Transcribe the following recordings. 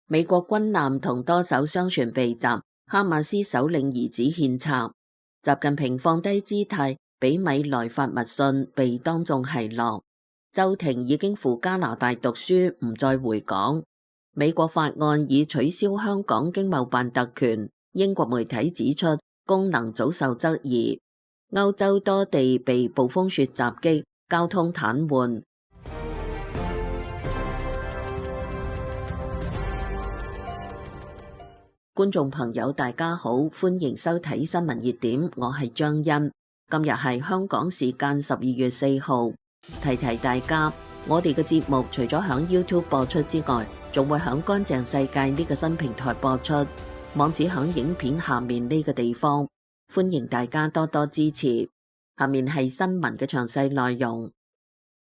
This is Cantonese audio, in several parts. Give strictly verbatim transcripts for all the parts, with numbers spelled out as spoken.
美國軍艦同多艘商船被襲，哈馬斯首領兒子獻策。習近平放低姿態，俾米來發密信，被當眾奚落。周庭已經赴加拿大讀書，唔再回港。美國法案已取消香港經貿辦特權，英國媒體指出功能早受質疑。歐洲多地被暴風雪襲擊，交通癱瘓。觀眾朋友大家好，歡迎收睇新聞熱點，我係張欣。今日係香港時間十二月四號，提提大家，我哋嘅節目除咗響 YouTube 播出之外，仲會響乾淨世界呢個新平台播出，網址響影片下面呢個地方，歡迎大家多多支持。下面係新聞嘅詳細內容。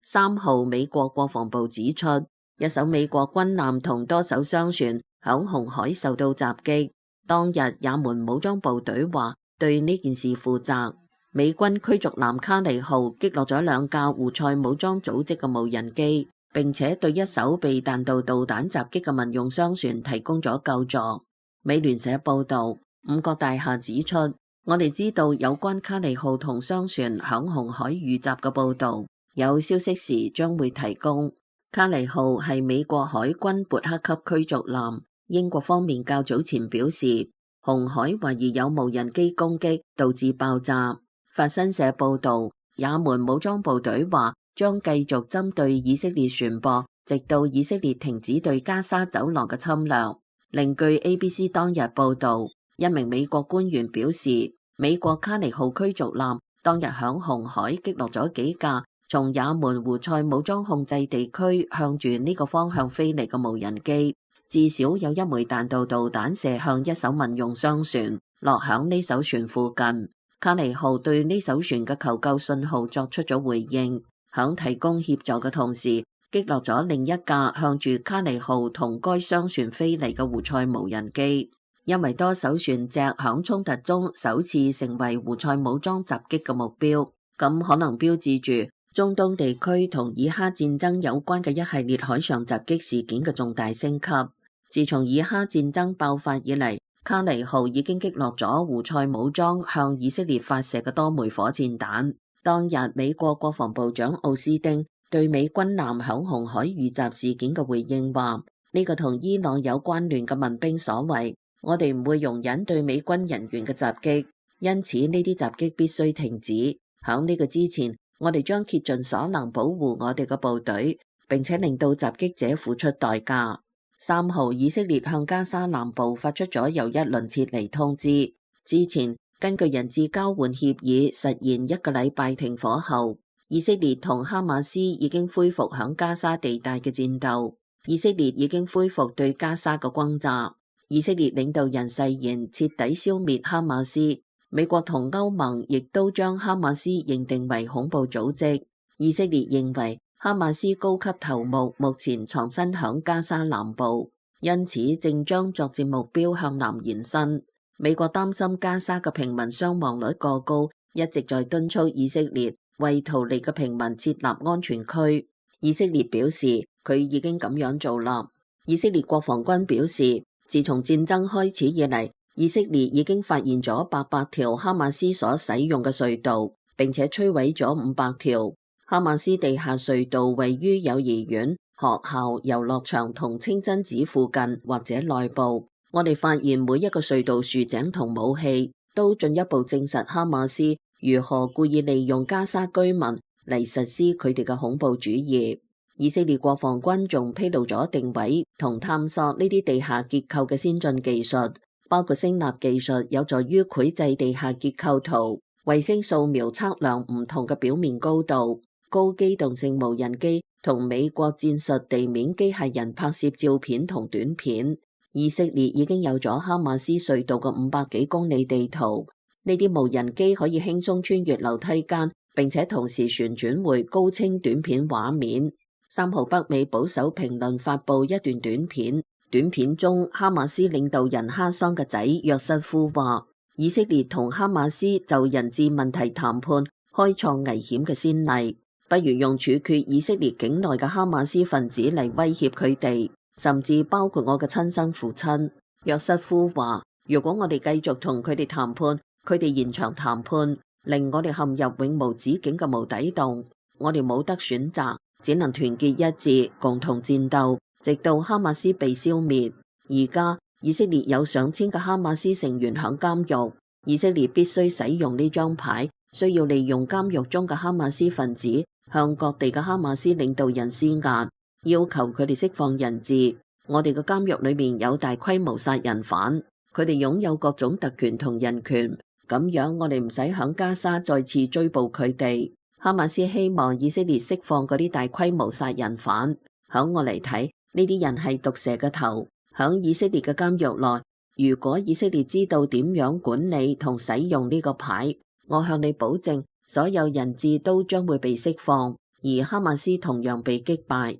三號，美國國防部指出，一艘美國軍艦同多艘商船響紅海受到襲擊，當日也門武裝部隊話對呢件事負責。美軍驅逐艦卡尼號擊落咗兩架胡塞武裝組織嘅無人機，並且對一艘被彈道導彈襲擊嘅民用商船提供咗救助。美聯社報道，五角大廈指出，我哋知道有關卡尼號同商船響紅海遇襲嘅報道，有消息時將會提供。卡尼號係美國海軍伯克級驅逐艦。英國方面較早前表示，紅海懷疑有無人機攻擊導致爆炸。法新社報道，也門武裝部隊話將繼續針對以色列船舶，直到以色列停止對加沙走廊嘅侵略。另據 A B C 當日報道，一名美國官員表示，美國卡尼號驅逐艦當日響紅海擊落咗幾架從也門胡塞武裝控制地區向住呢個方向飛嚟嘅無人機。至少有一枚彈道導彈射向一艘民用商船，落響呢艘船附近。卡尼號對呢艘船嘅求救信號作出咗回應，響提供協助嘅同時，擊落咗另一架向住卡尼號同該商船飛嚟嘅胡塞無人機。因為多艘船隻響衝突中首次成為胡塞武裝襲擊嘅目標，咁可能標誌住中東地區同以哈戰爭有關嘅一系列海上襲擊事件嘅重大升級。自從以哈戰爭爆發以嚟，卡尼號已經擊落咗胡塞武裝向以色列發射嘅多枚火箭彈。當日美國國防部長奧斯汀對美軍艦響紅海遇襲事件嘅回應話：呢個同伊朗有關聯嘅民兵所為，我哋唔會容忍對美軍人員嘅襲擊，因此呢啲襲擊必須停止。響呢個之前，我哋將竭盡所能保護我哋嘅部隊，並且令到襲擊者付出代價。三號，以色列向加沙南部發出咗又一輪撤離通知。之前根據人質交換協議實現一個禮拜停火後，以色列同哈馬斯已經恢復響加沙地帶嘅戰鬥。以色列已經恢復對加沙嘅轟炸。以色列領導人誓言徹底消滅哈馬斯。美國同歐盟亦都將哈馬斯認定為恐怖組織。以色列認為哈馬斯高級頭目目前藏身響加沙南部，因此正將作戰目標向南延伸。美國擔心加沙嘅平民傷亡率過高，一直在敦促以色列為逃離嘅平民設立安全區。以色列表示佢已經咁樣做啦。以色列國防軍表示，自從戰爭開始以嚟，以色列已經發現咗八百條哈馬斯所使用嘅隧道，並且摧毀咗五百條。哈馬斯地下隧道位於幼兒園、學校、遊樂場同清真寺附近或者內部。我哋發現每一個隧道豎井同武器，都進一步證實哈馬斯如何故意利用加沙居民嚟實施佢哋嘅恐怖主義。以色列國防軍仲披露咗定位同探索呢啲地下結構嘅先進技術，包括聲納技術有助於繪製地下結構圖、衛星掃描測量唔同嘅表面高度、高機動性無人機同美國戰術地面機械人拍攝照片同短片。以色列已經有咗哈馬斯隧道嘅五百幾公里地圖，呢啲無人機可以輕鬆穿越樓梯間，並且同時旋轉回高清短片畫面。三號，北美保守評論發布一段短片，短片中哈馬斯領導人哈桑嘅仔約瑟夫話，以色列同哈馬斯就人質問題談判開創危險嘅先例。不如用處決以色列境內嘅哈馬斯分子嚟威脅佢哋。甚至包括我嘅親生父親。約瑟夫話：如果我哋繼續同佢哋談判，佢哋延長談判，令我哋陷入永無止境嘅無底洞，我哋冇得選擇，只能團結一致，共同戰鬥，直到哈馬斯被消滅。而家以色列有上千個哈馬斯成員響監獄，以色列必須使用呢張牌，需要利用監獄中嘅哈馬斯分子向各地嘅哈馬斯領導人施壓，要求佢哋釋放人質。我哋嘅監獄裏面有大規模殺人犯，佢哋擁有各種特權同人權，咁樣我哋唔使響加沙再次追捕佢哋。哈馬斯希望以色列釋放嗰啲大規模殺人犯，響我嚟睇，呢啲人係毒蛇嘅頭。響以色列嘅監獄內，如果以色列知道點樣管理同使用呢個牌，我向你保證，所有人質都將會被釋放，而哈馬斯同樣被擊敗。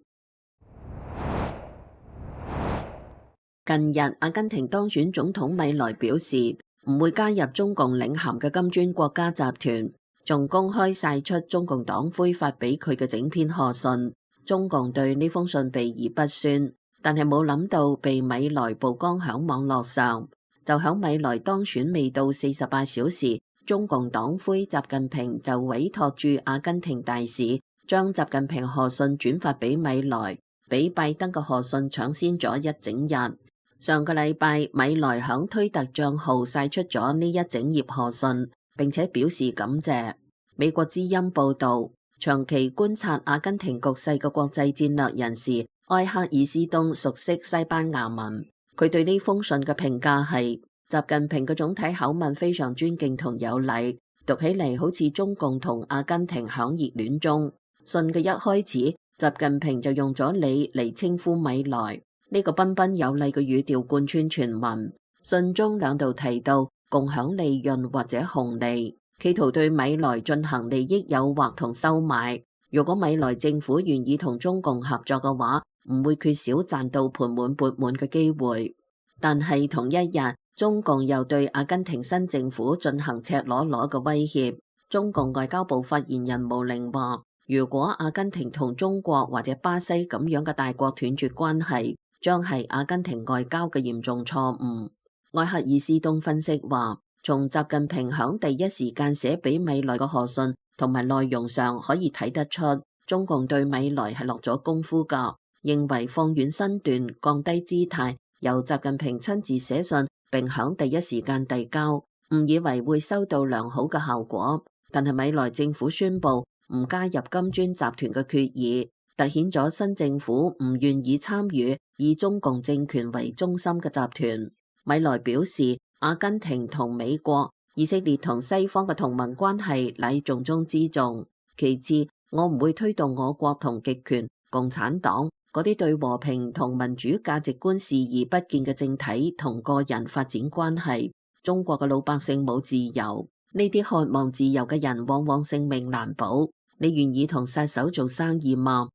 近日，阿根廷當選總統米萊表示唔會加入中共領銜嘅金磚國家集團，仲公開晒出中共黨魁發俾佢嘅整篇賀信。中共對呢封信避而不宣，但係冇諗到被米萊曝光響網絡上。就響米萊當選未到四十八小時，中共黨魁習近平就委託駐阿根廷大使將習近平賀信轉發俾米萊，比拜登嘅賀信搶先咗一整日。上個禮拜，米萊響推特賬號晒出咗呢一整頁賀信，並且表示感謝。美國之音報道，長期觀察阿根廷局勢嘅國際戰略人士埃克爾斯東熟悉西班牙文，佢對呢封信嘅評價係：習近平嘅總體口吻非常尊敬同有禮，讀起嚟好似中共同阿根廷響熱戀中。信嘅一開始，習近平就用咗你嚟稱呼米萊。呢個彬彬有禮嘅語調貫穿全文，信中兩度提到共享利潤或者紅利，企圖對米萊進行利益誘惑同收買。如果米萊政府願意同中共合作嘅話，唔會缺少賺到盆滿缽滿嘅機會。但係同一日，中共又對阿根廷新政府進行赤裸裸嘅威脅。中共外交部發言人毛寧話：如果阿根廷同中國或者巴西咁樣嘅大國斷絕關係，將係阿根廷外交嘅嚴重錯誤。埃克爾斯東分析話，從習近平響第一時間寫俾米萊嘅賀信同埋內容上可以睇得出，中共對米萊係落咗功夫㗎，認為放軟身段、降低姿態，由習近平親自寫信並響第一時間遞交，誤以為會收到良好嘅效果。但係米萊政府宣布唔加入金磚集團嘅決議，凸顯咗新政府唔願意參與以中共政權為中心嘅集團。米萊表示，阿根廷同美國、以色列同西方嘅同盟關係乃重中之重。其次，我唔會推動我國同極權、共產黨嗰啲對和平同民主價值觀視而不見嘅政體同個人發展關係。中國嘅老百姓冇自由，呢啲渴望自由嘅人往往性命難保。你願意同殺手做生意嗎？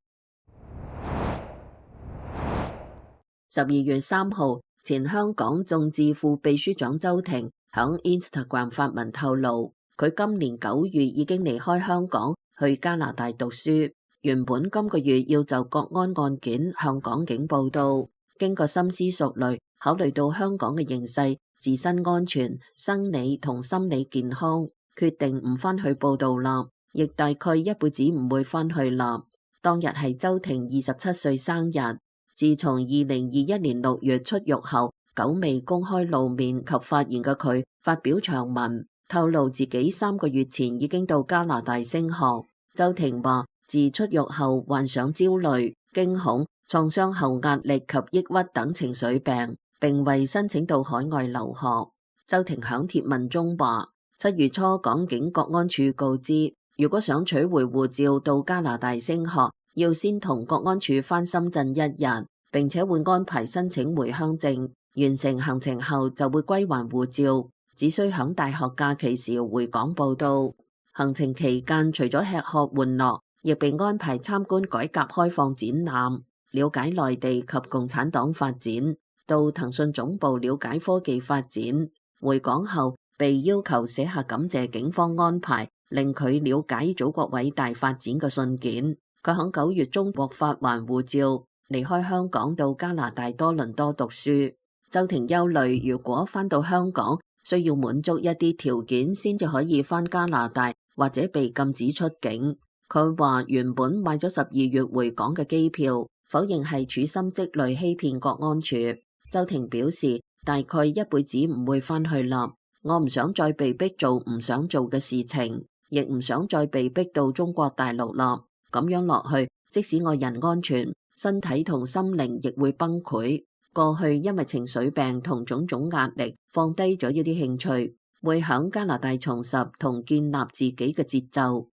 十二月三號，前香港眾志副秘書長周庭響 Instagram 發文透露，佢今年九月已經離開香港去加拿大讀書，原本今個月要就國安案件向港警報到，經過深思熟慮，考慮到香港嘅形勢、自身安全、生理同心理健康，決定唔返去報到啦，亦大概一輩子唔會返去啦。當日係周庭二十七歲生日。自從二零二一年六月出獄後，久未公開露面及發言嘅佢，發表長文，透露自己三個月前已經到加拿大升學。周庭話，自出獄後患上焦慮、驚恐、創傷後壓力及抑鬱等情緒病，並為申請到海外留學。周庭響貼文中話，七月初港警國安處告知，如果想取回護照到加拿大升學，要先同國安處返深圳一日，並且會安排申請回鄉證。完成行程後就會歸還護照，只需響大學假期時回港報到。行程期間除咗吃喝玩樂，亦被安排參觀改革開放展覽，了解內地及共產黨發展，到騰訊總部了解科技發展。回港後被要求寫下感謝警方安排，令佢了解祖國偉大發展嘅信件。佢喺九月中獲發還護照，離開香港到加拿大多倫多讀書。周庭憂慮，如果返到香港，需要滿足一啲條件先至可以返加拿大，或者被禁止出境。佢話原本買咗十二月回港嘅機票，否認係處心積慮欺騙國安處。周庭表示，大概一輩子唔會返去啦，我唔想再被逼做唔想做嘅事情，亦唔想再被逼到中國大陸啦。咁樣落去，即使我人安全，身體同心靈亦會崩潰。過去因為情緒病同種種壓力，放低咗一啲興趣，會響加拿大重拾同建立自己嘅節奏。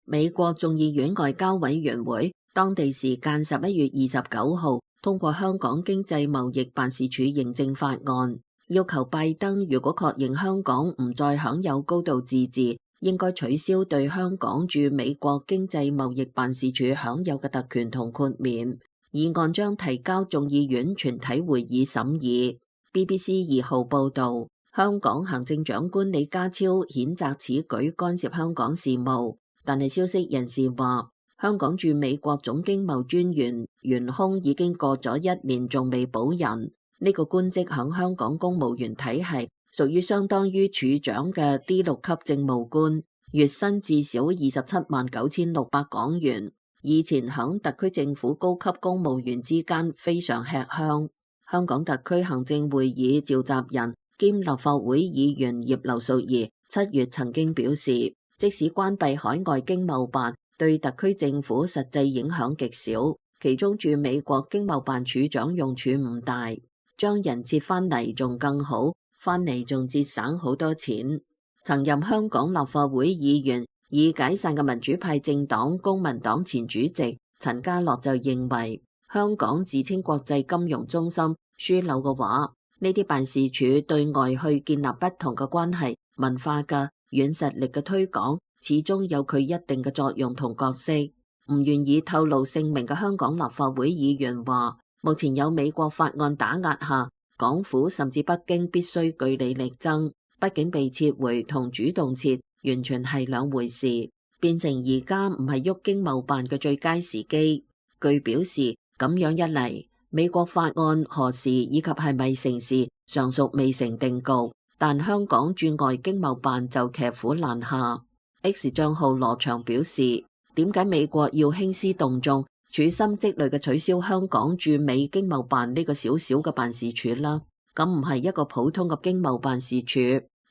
美國眾議院外交委員會當地時間十一月二十九號通過香港經濟貿易辦事處認證法案，要求拜登如果確認香港唔再享有高度自治，應該取消對香港駐美國經濟貿易辦事處享有嘅特權同豁免。議案將提交眾議院全體會議審議。B B C 二號報導，香港行政長官李家超譴責此舉干涉香港事務，但係消息人士話，香港駐美國總經貿專員懸空已經過咗一年，仲未補人。呢個官職響香港公務員體系屬於相當於處長嘅 D 六級政務官，月薪至少二十七萬九千六百港元。以前響特區政府高級公務員之間非常吃香。香港特區行政會議召集人兼立法會議員葉劉淑儀七月曾經表示，即使關閉海外經貿辦，對特區政府實際影響極少，其中駐美國經貿辦處長用處唔大，將人撤返嚟仲更好，返嚟仲節省好多錢。曾任香港立法會議員已解散嘅民主派政黨公民黨前主席陳家樂就認為，香港自稱國際金融中心樞紐嘅話，呢啲辦事處對外去建立不同嘅關係、文化嘅軟實力嘅推廣，始終有佢一定嘅作用同角色。唔願意透露姓名嘅香港立法會議員話，目前有美國法案打壓下，港府甚至北京必須據理力爭，畢竟被撤回同主動撤完全係兩回事，變成而家唔係喐經貿辦嘅最佳時機。據表示，咁樣一嚟，美國法案何時以及係咪成事，尚屬未成定局。但香港駐外經貿辦就騎虎難下。X 賬號羅翔表示，點解美國要興師動眾、處心積慮嘅取消香港駐美經貿辦呢個小小嘅辦事處啦？咁唔係一個普通嘅經貿辦事處，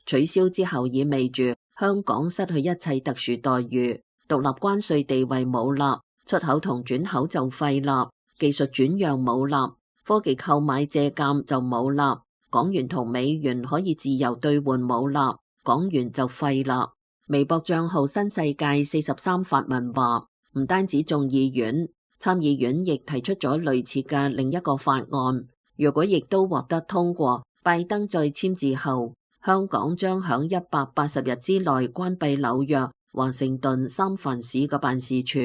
取消之後意味住香港失去一切特殊待遇，獨立關稅地位冇啦，出口同轉口就廢啦，技術轉讓冇啦，科技購買借鑒就冇啦，港元同美元可以自由兌換冇啦，港元就廢啦。微博賬號新世界四十三發文話，唔單止眾議院，參議院亦提出咗類似嘅另一個法案，如果亦都獲得通過，拜登再簽字後，香港將響一百八十日之內關閉紐約、華盛頓、三藩市嘅辦事處。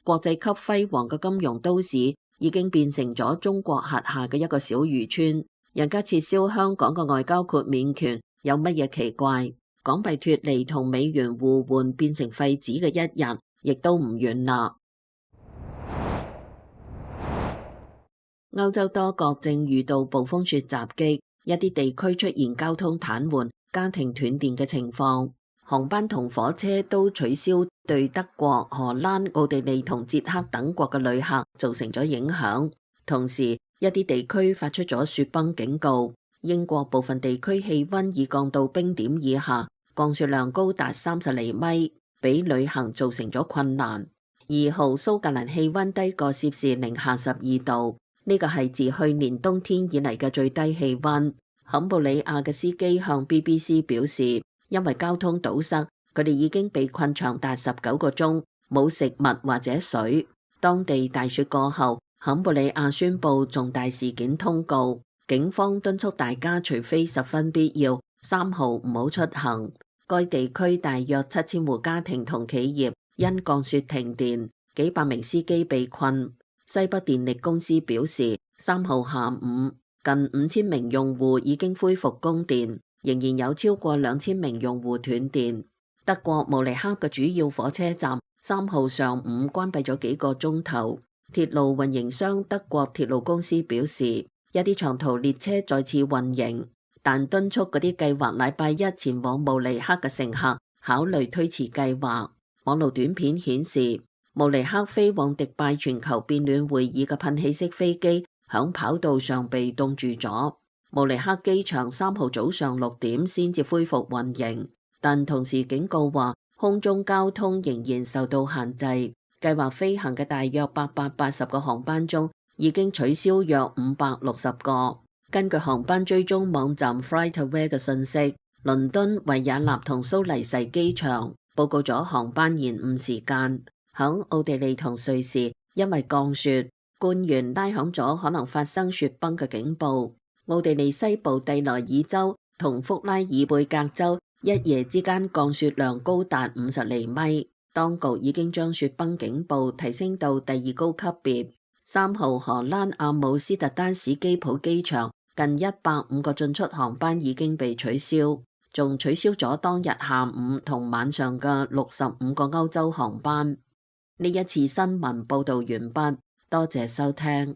國際級輝煌嘅金融都市已經變成咗中國轄下嘅一個小漁村，人家撤銷香港嘅外交豁免權有乜嘢奇怪？港幣脫離同美元互換變成廢紙嘅一日，亦都唔遠啦。歐洲多國正遇到暴風雪襲擊，一啲地區出現交通癱瘓、家庭斷電嘅情況，航班同火車都取消，對德國、荷蘭、奧地利同捷克等國嘅旅客造成咗影響。同時，一啲地區發出咗雪崩警告。英國部分地區氣溫已降到冰點以下，降雪量高達三十厘米，俾旅行造成咗困難。二號蘇格蘭氣溫低過攝氏零下十二度，呢個係自去年冬天以嚟嘅最低氣溫。坎布里亞嘅司機向 B B C 表示，因為交通堵塞，佢哋已經被困長達十九個鐘，冇食物或者水。當地大雪過後，坎布里亞宣布重大事件通告。警方敦促大家除非十分必要，三號唔好出行。該地區大約七千戶家庭同企業因降雪停電，幾百名司機被困。西北電力公司表示，三號下午近五千名用戶已經恢復供電，仍然有超過兩千名用戶斷電。德國慕尼黑嘅主要火車站三號上午關閉咗幾個鐘頭。鐵路運營商德國鐵路公司表示，一啲長途列車再次運營，但敦促嗰啲計劃禮拜一前往慕尼黑嘅乘客考慮推遲計劃。網路短片顯示，慕尼黑飛往迪拜全球變暖會議嘅噴氣式飛機響跑道上被凍住咗。慕尼黑機場三號早上六點先至恢復運營，但同時警告話空中交通仍然受到限制。計劃飛行嘅大約八百八十個航班中，已經取消約五百六十個。根據航班追蹤網站 FlightAware 嘅信息，倫敦、維也納同蘇黎世機場報告咗航班延誤時間。響奧地利同瑞士，因為降雪，官員拉響咗可能發生雪崩嘅警報。奧地利西部蒂萊爾州同福拉爾貝格州一夜之間降雪量高達五十厘米。當局已經將雪崩警報提升到第二高級別。三號荷蘭阿姆斯特丹史基普機場近一百五個進出航班已經被取消，仲取消咗當日下午同晚上嘅六十五個歐洲航班。呢一次新聞報道完畢，多謝收聽。